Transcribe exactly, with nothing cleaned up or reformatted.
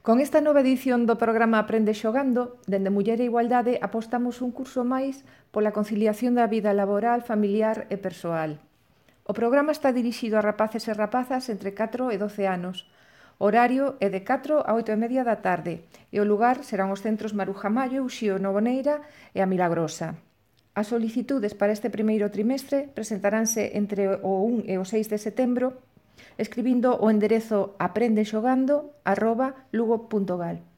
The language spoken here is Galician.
Con esta nova edición do programa Aprende Xogando, dende Muller e Igualdade apostamos un curso máis pola conciliación da vida laboral, familiar e persoal. O programa está dirixido a rapaces e rapazas entre catro e doce anos. O horario é de catro a oito e media da tarde e o lugar serán os centros Maruja Mallo, Uxío Novoneira e a Milagrosa. As solicitudes para este primeiro trimestre presentaránse entre o un e o seis de setembro escribindo o enderezo aprendexogando arroba lugo punto gal.